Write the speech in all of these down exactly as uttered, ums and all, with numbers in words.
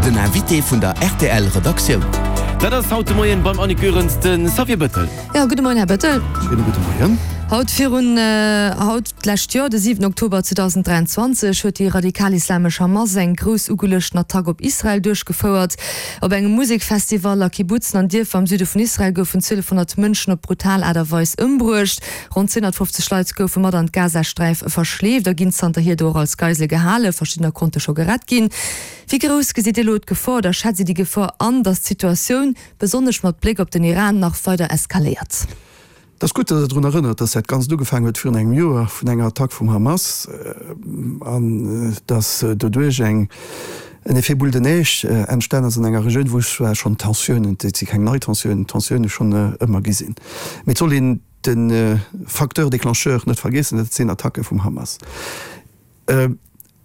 Den Invité vun der R T L Redaktioun. Dat ass haut de Moien beim Annick Goerens de Xavier Bettel. Ja, gudde Moien, Här Bettel. Schéine gudde Moien. Haut virun haut d'lescht Joer, de siwenten Oktober zweedausenddräianzwanzeg, huet déi radikal-islamesch Hamas eng grouss ugeluechten Attack op Israel duerchgefouert. Op engem Musekfestival a Kibbutzen an Dierfer am Süde vun Israel goufen zwielefhonnert Mënschen op brutal Aart a Weis ëmbruecht. Ronn zweehonnertfofzeg Leit goufe mat an d'Gazasträif verschleeft a ginn zanterhier do och als Geisele gehalen. Verschiddener konnte scho gerett ginn. Wéi grouss gesitt Dir elo d'Gefor oder schätzt Dir déi Gefor an, datt d'Situatioun, besonnesch mat Bléck op den Iran, nach weider eskaléiert? Et ass gutt, datt Der drun erënnert, datt dat Ganzt ugefaangen huet virun engem Joer vun enger Attack vum Hamas an datt doduerch eng en Effet boule de neige entstan ass an enger Regioun, wou zwar schonn Tensiounen, dat si keng nei Tensiounen, Tensioune schonn ëmmer gi sinn, mee et soll een de Facteur déclencheur net vergiessen, dat sinn Attacke vum Hamas.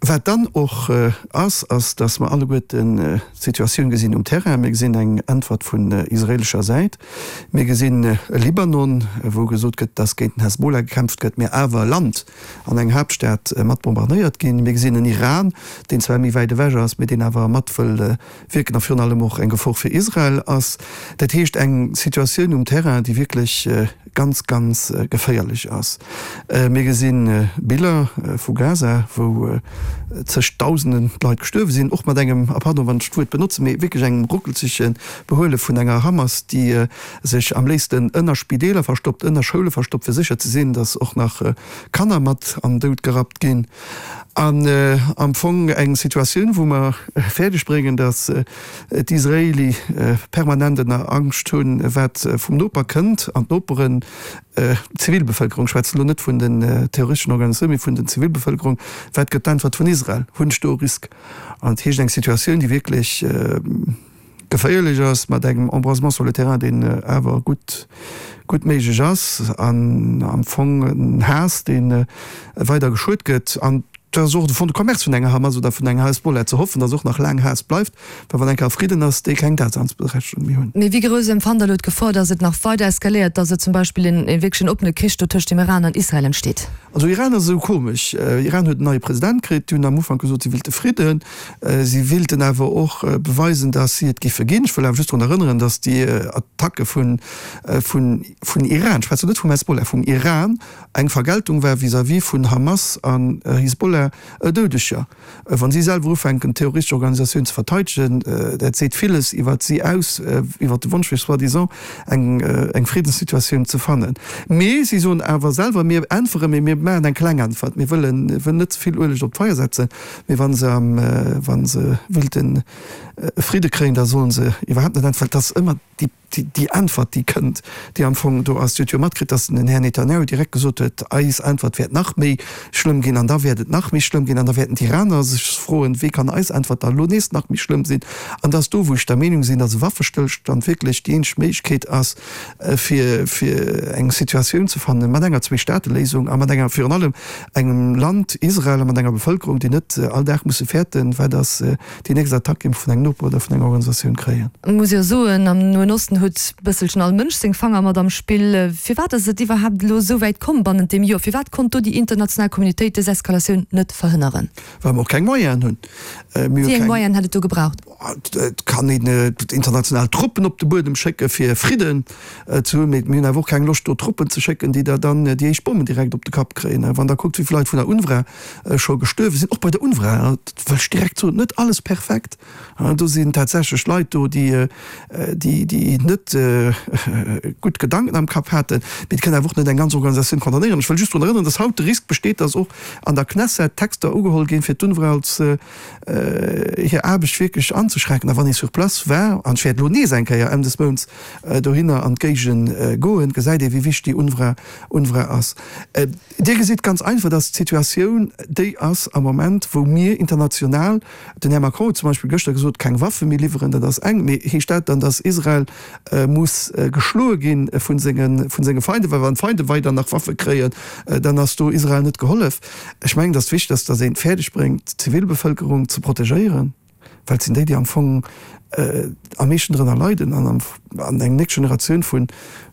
Wat dann och ass, ass, dass mer alleguerten d'Situatioun gesinn um Terrain. Mir gesinn eng Äntwert vun israeelescher Säit. Mir gesinn e Libanon, wou gesot gëtt, dass géint den Hezbollah gekämpft gëtt, mä awer e Land an eng Haaptstad mat bombardéiert ginn. Mir gesinn en Iran, deen zwar méi wäit ewech ass, mä deen awer mat wëll wierken a virun allem och eng Gefor fir Israel ass. Dat heescht, eng Situatioun um Terrain, déi wierklech ganz, ganz geféierlech ass. Mir gesi Biller vu Gaza, wou zeg Dausenden Leit gestuerwe sinn, och mat engem, a pardon, wann ech d'Wuert benotzen, mee wierklech engem ruckelzege Behuele vun enger Hamas, déi sech am léifsten ënner Spideeler verstoppt, ënner Schoule verstoppt, fir sécher ze sinn, datt och nach Kanner mat an den Doud gerappt ginn. An am Fong eng Situatioun, wou mer fäerdeg bréngen, datt d'Israeli permanent ënner Angscht hunn, wat vum Noper kënnt, an d'Noperen, d'Zivilbevëlkerung, ech schwätzen elo net vun den terroristeschen Organisatiounen, mee vun den Zivilbevëlkerung, wat gëtt d'Äntwert vun Israel, hunn ech do e Risk? An dat heescht eng Situatioun, déi wierklech geféierlech ass, mat engem Embrasement sur le terrain, deen awer gutt, gutt méiglech ass, an am Fong en Haass, dee weider geschuert gëtt. An dat ass och de Fonds de commerce vun enger Hamas oder vun enger Hezbollah, ze hoffen, datt och nach laang Haass bleift, well wann eng Kéier Fridden ass, déi keng Daseinsberechtegung méi hunn. Mee wéi grouss empfannt Der elo d'Gefor, datt et nach weider eskaléiert, datt et zum Beispill en wierklech en oppene Krich do tëscht dem Iran an Israel entsteet? Also Iran ass esou komesch. Iran huet en neie President kritt. Déi hunn am Ufank gesot, si willte Fridden. Si wilten awer och beweisen, datt si et giffe ginn. Ech wëll awer just drun erënneren, datt déi Attacke vun, vun, vun Iran, ech schwätzen net vum Hezbollah, vum Iran, eng Vergeltung war vis-à-vis vun Hamas an Hisbollah Doudeger. Wa si selwer ufänken, terroristesch Organisatioun ze verteidegen, dat seet villes iwwert si aus, iwwert de Wonsch fir soi-disant eng eng Friddenssituatioun ze fannen. Mee si soen awer selwer, mir äntweren, mee mir maachen eng kleng Äntwert, mir wëllen wëllen net ze vill Ueleg op d'Feier setzen, mee wa se am wa se wéilten Fridde kréien, da solle se iwwerhaapt net äntweren. Et ass ëmmer déi déi Äntwert, déi kënnt, déi am Fong do ass. Dir hutt jo matkritt, datt den Här Netanjahu direkt gesot huet, Eis Äntwert wäert nach méi schlëmm ginn an da wäert et nach méi schlëmm ginn an da wäerten d'Iraner sech froen, wéi kann eis Äntwert da elo nees nach méi schlëmm sinn? An et ass do, wou ech der Meenung sinn, datt e Waffestëllstand wierklech déi eenzeg Méiglechkeet ass, fir fir eng Situatioun ze fannen mat enger Zweestaateléisung a mat enger, virun allem engem Land Israel a mat enger Bevëlkerung, déi net all Dag musse fäerten, wat ass déi nächst Attack, déi mer vun engem Noper oder vun enger Organisatioun kréien. Muss jo soen, am Noen Osten huet bësselchen all Mënsch seng Fanger mat am Spill. Firwat ass et iwwerhaapt elo esou wäit komm bannent deem Joer? Firwat konnt do déi international Communautéit dës Eskalatioun net verhënneren? Well mer och keng Moyenen hunn. Wéi eng Moyenen hätt et do gebraucht? Et kann een international Truppen op de Buedem schécke fir Fridden ze hunn, mee mir hunn awer och keng Loscht do Truppen ze schécken, déi der dann déi éischt Bommen direkt op de Kapp kréien. Wann Der kuckt, wéi vill Leit vun der UNRWA scho gestuerwe sinn, och bei der UNRWA, dat wëll ech direkt soen, net alles perfekt. Do sinn tatsächlech Leit do, déi, déi net gutt Gedanken am Kapp haten. Mee et kann awer och net eng ganz Organisatioun condamnéieren. Ech wëll just drun erënneren, dass haut de Risk besteet, dass och an der Knesset Texter ugeholl ginn, fir d'UNRWA als hir Aarbecht wierklech anzeschränken. A wann ee sur place war, an ech wäert elo nees eng Kéier Enn des Mounts dohinner an d'Géigend goen, gesäit ee wéi wichteg déi UNRWA, UNRWA ass. Dir gesitt ganz einfach, dass d'Situatioun déi ass am Moment, wou mir international, den Här Macron huet zum Beispill gëschter gesot, keng Waffe méi liwweren, dat ass eng, mee heescht dat dann, dass Israel muss geschloe gi vu senge Feinde? Well wann d'Feinde weider nach Waffe kréien, dann ass do Israel net gehollef. Ech mengen, et ass wichteg, dass een et fäerdeg bréngt, d'Zivilbevëlkerung ze protegéieren, well et sinn déi, déi am Fong am meeschten drënner leiden an an eng nächst Generatioun vun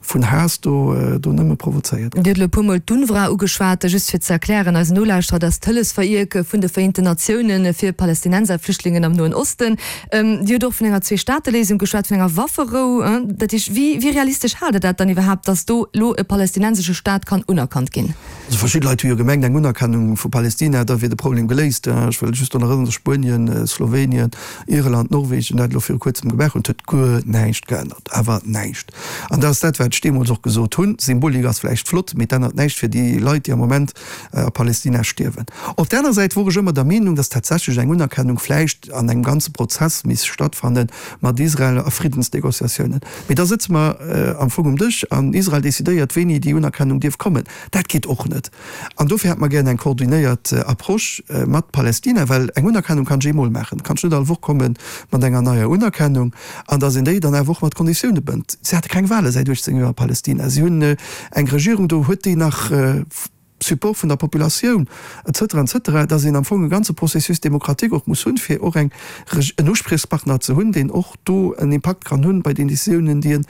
vun Haass do do nëmme provozéiert. Dir hutt elo e puermol d'UNRWA ugeschwat. Just fir ze erklären eisen Nolauschterer, dat ass d'Hëllefsverierk vun de Vereenten Natiounen fir Palästinenserflüchtlingen am Noen Osten. Dir hutt och vun enger Zwee-Staate-Léisung geschwat, vun enger Wafferou. Dat heescht, wéi wéi realistesch haalt Der dat dann iwwerhaapt, datt do elo e palästinensesche Staat kann unerkannt ginn? Also verschidde Leit hu jo gemengt, eng Unerkennung vu Palästina, da wier de Problem geléist. Ech wëll just drun erënneren, datt Spuenien, Slowenien, Irland, Norwegen dat elo viru kuerzem gemaach hunn. Et huet guer näischt geännert, awer näischt. An dat ass dat, wat ech deemools och gesot hunn, Symbolik ass vläicht flott, mee et ännert näischt fir déi Leit, déi am Moment a Palästina stierwen. Op där aner Säit wor ech ëmmer der Meenung, datt tatsächlech eng Unerkennung vläicht an engem ganze Prozess misst stattfanne mat Israel a Friddensnegociatiounen. Mee da sëtze mer am Fong um Dësch an Israel decidéiert, wéini déi Unerkennung dierf kommen. Dat geet och net. An dofir hätte mer gären eng koordinéiert Approche mat Palästina, well eng Unerkennung kann ech eemol maachen, kann ech net all Woch komme mat enger neier Unerkennung, an datt een déi dann awer och mat Konditioune bënnt. Si hate keng Wahle säit uechtzéng Joer a Palästina. Si hunn eng Regierung do, huet déi nach Support vun der Populatioun, et cetera, et cetera, datt een am Fong e ganze Processus démocratique och muss hunn, fir och eng, en Uspriechspartner ze hunn, deen och do en Impakt kann hunn bei den Décisiounen, déi en,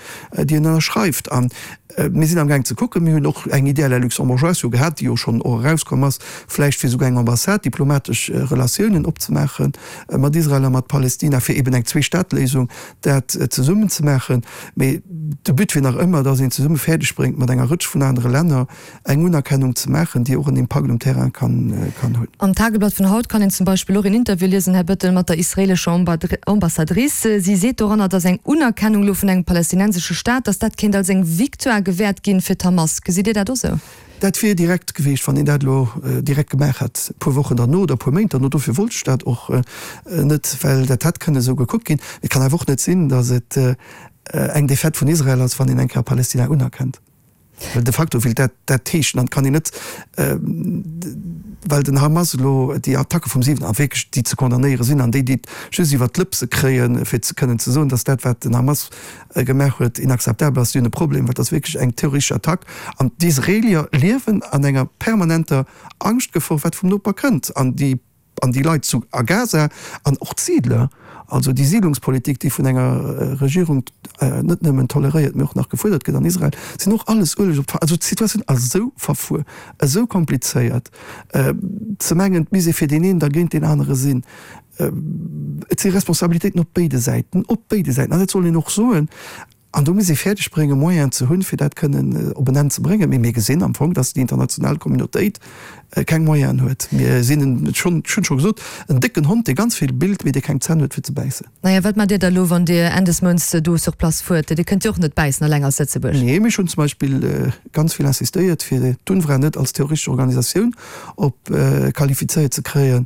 déi en ënnerschreift. A mir sinn amgaang ze kucken, mir hunn och eng Idée à la luxembourgeoise jo gehat, déi jo schonn och erauskomm ass, vläicht fir esouguer eng Ambassade, diplomatesch Relatiounen opzemaache mat Israel a mat Palästina, fir eben eng Zwee-Staat-Léisung dat zesummen ze maachen. Mee de But wier nach ëmmer, datt een zesumme fäerdeg bréngt, mat enger Rëtsch vun anere Länner eng Unerkennung ze maachen, déi och en Impakt um Terrain kann hunn. Am Tageblatt vun haut kann een zum Beispill och een Interview liesen, Här Bettel, mat der israeelescher Ambassadrice. Si seet doranner, datt eng Unerkennung elo vun engem palästinensesche Staat, datt dat kéint als eng Victoire gewäert ginn fir d'Hamas. Gesitt Dir dat och esou? Dat wier direkt gewiescht, wann een dat elo direkt gemaach hätt, e puer Wochen derno oder e puer Méint derno. Dofir wollt ech dat och net, well dat hätt kënne esou gekuckt ginn. Et kann awer och net sinn, datt et eng Defaite vun Israel ass, wann een eng Kéier Palästina unerkennt. Well de facto wéilt dat dat heeschen. An et kann een net, well den Hamas elo déi Attacke vum siwen a wierklech déi ze condamnéiere sinn an déi, déi et just iwwert d'Lëpse kréien, fir ze kënnen ze soen, datt dat, wat den Hamas gemaach huet, inakzeptabel ass, déi hunn e Problem, well dat ass wierklech eng terroristesch Attack. An d'Israelier liewen an enger permanenter Angschtgefor, wat vum Noper kënnt. An déi an déi Leit zu a Gaza an och d'Siidler, also déi Siidlungspolitik, déi vun enger Regierung net nëmmen toleréiert, mee och nach gefuerdert gëtt an Israel, sinn och alles ueleg op d'Fa. Also d'Situatioun ass esou verfuer, esou komplizéiert, ze mengen, et misst ee fir deen een da géint deen anere sinn. Et si Responsabilitéiten op béide Säiten, op béide Säiten, an dat soll een och soen. An do muss ee fäerdeg bréngen, Moyenen ze hunn, fir dat kënnen op en Enn ze bréngen. Mee mir gesinn am Fong, dass déi international Communautéit keng Moyenen huet. Mir sinn en, ech hunn scho gesot, en décken Hond, dee ganz vill billt, mee dee keng Zänn huet, fir ze bäissen. Naja, wat maacht Dir da elo, wann Dir Enn des Mounts do sur place fuert? Dir kënnt jo och net bäissen eleng als Lëtzebuerg. Nee, mee ech hunn zum Beispill ganz vill insistéiert, fir d'UNRWA net als terroristesch Organisatioun op qualifizéiert ze kréien.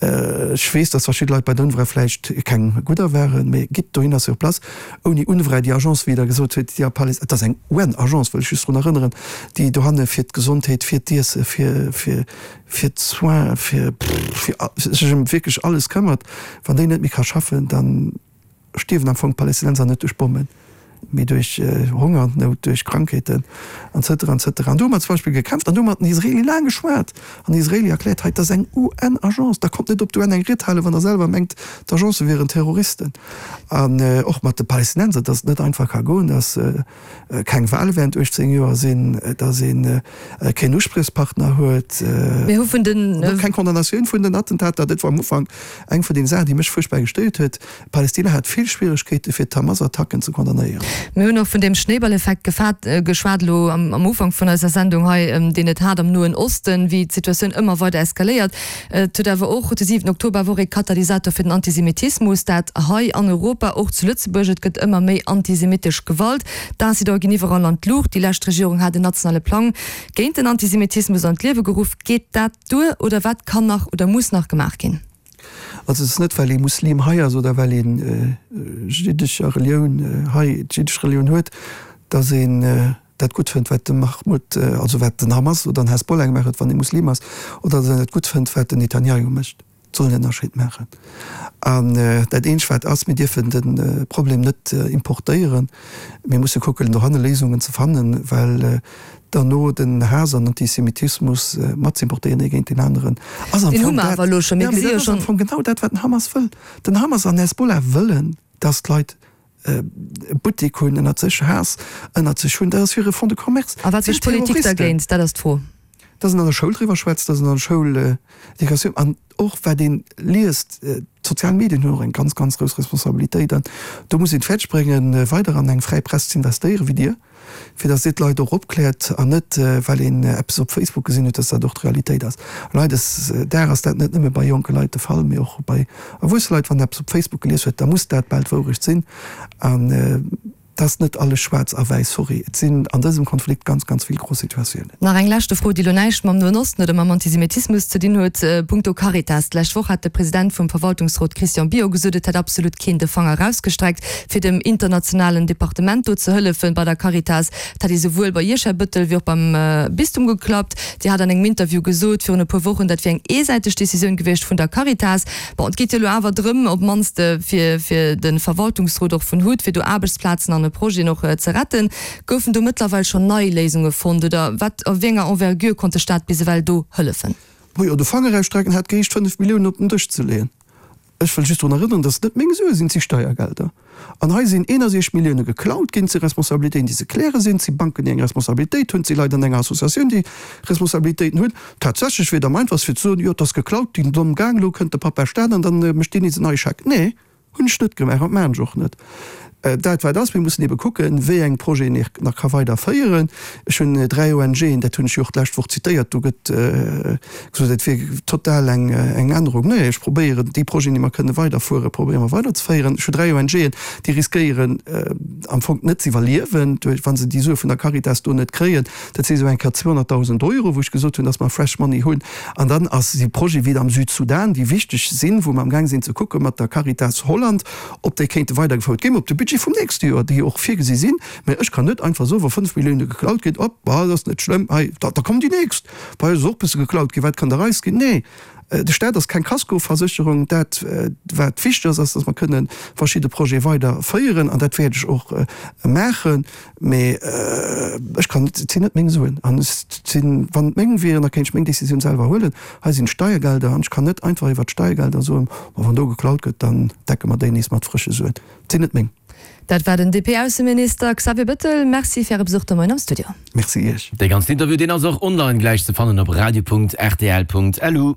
Ech weess, dass verschidde Leit bei der UNRWA vläicht keng gudder waren, mee gitt dohinner sur place. Ouni UNRWA, déi Agence, wéi Der gesot hutt, déi a Palest-, et ass eng UN-Agence, wëll ech just drun erënneren, déi dohanne fir d'Gesondheet, fir d'Iesse, fir, fir, fir d'Soins, fir, fir sech ëm wierklech alles këmmert, wann déi net méi ka schaffen, dann stierwen am Fong d'Palästinenser net duerch Bommen, mee duerch Hongernout, duerch Krankheeten an cetera an cetera. An do hu mer zum Beispill gekämpft an do hu mer mat den Israeli laang geschwat an den Israeli erkläert, hei, dat ass eng UN-Agence, da kommt net op d'UN eng Ried halen, wann Der selwer mengt, d'Agence wieren Terroristen. An och mat de Palästinenser, dass et net einfach ka goen, dass keng Wahle während uechtzéng Joer sinn, dass ee keen Uspriechspartner huet, Mir hu vun den. och keng Condamnatioun vun den Attentater. Dat war am Ufank eng vun den Saachen, déi mech fuerchtbar gestéiert huet. Palästina hat vill Schwieregkeete fir d'Hamas-Attacken ze condamnéieren. Mir hunn och vun deem Schnéiballeffekt geschwat elo am Ufank vun eiser Sendung hei, deen et hat am Noen Osten, wéi d'Situatioun ëmmer weider eskaléiert. Et huet awer och de siwenten Oktober wor ee Katalysator fir den Antisemitismus, dat hei an Europa, och zu Lëtzebuerg. Et gëtt ëmmer méi antisemitesch Gewalt. D'Incidente ginn iwwerall an d'Luucht. Déi lescht Regierung hat en nationale Plang géint den Antisemitismus an d'Liewe geruff. Geet dat duer oder wat kann nach oder muss nach gemaach ginn? Also et ass net well ee Muslim hei ass oder well ee jiddescher Relioun hei, d'jiddesch Relioun huet, datt een dat gutt fënnt wat de Mahmoud, also wat den Hamas oder den Hezbollah gemaach huet, wann ee Muslim ass, oder datt een dat gutt fënnt wat den Netanjahu mécht. Et soll een en Ënnerscheed maachen. An dat eenzegt wat ass, mir dierfen de Problem net importéieren, mir musse kucken dohanne Léisungen ze fannen, well derno den Haass an Antisemitismus mat z'importéieren ee géint deen aneren, ass am Fong dat, jo, mee dat ass am Fong genau dat, wat den Hamas wëll. Den Hamas an Hezbollah wëllen dass d'Leit e Buttek hunn, ënnert sech Haass ënnert sech hunn. Dat ass hire Fonds de commerce. A wat mécht d'Politik dergéint? Dat ass d'Fro. Dass een an der Schoul driwwer schwätzt, dass een an der Schoul Educatioun an och wat een liest, d'sozial Medien hunn och eng ganz, ganz grouss Responsabilitéit an do muss een et fäerdeg bréngen, weider an eng fräi Press ze investéieren, wéi Dir, fir dass Dir d'Leit och opkläert an net well een eppes op Facebook gesinn huet, dass dat och d'Realitéit ass. An hautdesdag ass dat net nëmme bei jonke Leit de Fall, mee och bei erwuesse Leit, wann een eppes op Facebook gelies huet, da muss dat bal d'Wourecht sinn an Et ass net alles schwaarz a wäiss, sorry. Et sinn an dësem Konflikt ganz, ganz vill gro Situatiounen. Nach eng leschte Fro, déi elo näischt mam Noen Osten oder mam Antisemitismus ze dinn huet, punkto Caritas. D'lescht Woch hat de President vum Verwaltungsrot Christian Bior gesot, et hätt absolut keen de Fanger erausgestreckt, fir dem internationalen Departement do ze hëllefen bei der Caritas. Et hätt ee souwuel bei Iech, Här Bettel, wéi och beim Bistum geklappt. Dir hat an engem Interview gesot virun e puer Wochen, dat wier eng eesäiteg Decisioun gewiescht vun der Caritas. Bon, et geet jo elo awer drëm, op d'mannst fir fir de Verwaltungsrot och vun hut, fir do Aarbechtsplazen an e Projeten och ze retten. Goufen do mëttlerweil schonn nei Léisunge fonnt oder wat, a wéi enger Envergure konnt de Staat bis ewell do hëllefen? Majo, de Fanger ausstrecken hätt geheescht, fënnef Milliounen op den Dësch ze leeën. Ech wëll just drun erënneren, dass et net meng Sue sinn, et si Steiergelder. An hei sinn eenundsechzeg Millioune geklaut ginn. Et si Responsabilitéiten, déi ze kläre sinn. Et si Banken, déi eng Responsabilitéit hunn. Et si Leit an enger Associatioun, déi Responsabilitéiten hunn. Tatsächlech wier et am einfachste fir ze soen, jo, et ass geklaut ginn, domm gaang, elo kënnt de Pappa Staat an da mécht deen nees en neie Scheck. Nee, hunn ech net gemaach an maachen ech och net. Dat wat ass, mir mussen ebe kucken, wéi eng Projeten ee nach ka weiderféieren. Ech hunn dräi ONGen, dat hunn ech jo och d'lescht Woch zitéiert, do gëtt gesot, et wier total eng Ännerung. Nee, ech probéieren, déi Projeten, déi mer kënne weiderfueren, probéiere mer weiderzeféieren. Ech hu dräi ONGen, déi riskéieren am Fong net ze iwwerliewen, wa se déi Sue vun der Caritas do net kréien. Dat si sou eng Kéier zweehonnertdausend Euro, wou ech gesot hunn, datt mer Fresh Money hunn. An dann ass si Projete wéi am Südsudan, déi wichteg sinn, wou mer amgaang sinn ze kucke mat der Caritas Holland, ob déi kéinte weidergefouert ginn op de Budget vum nächste Joer, déi och virgesi sinn. Mä ech kann net einfach soen, wa fënnf Millioune geklaut ginn, op, bah, dat ass net schlëmm, hei, da kommen déi nächst, bei eis ass och e bësse geklaut ginn, wat kann der eis ginn? Nee, de Staat ass keng Kaskoversécherung. Dat, wat wichteg ass, ass, datt mer kënne verschidde Projete weiderféieren, an dat wäert ech och maachen. Mä ech kann net, et sinn net meng Suen. An et sinn, wann et meng wieren, da kéint ech meng Décisioun selwer huelen. Hei sinn d'Steiergelder an ech kann net einfach iwwert d'Steiergelder soen, ma wann do geklaut gëtt, dann decke mer déi nees mat frësche Suen. Et sinn net meng. Dat war den D P-Ausseminister Xavier Bettel. Merci fir Äre Besuch de Moien am Studio. Merci Iech. Dee ganzen Interview, deen ass och online gläich ze fannen op radio Punkt rtl Punkt lu.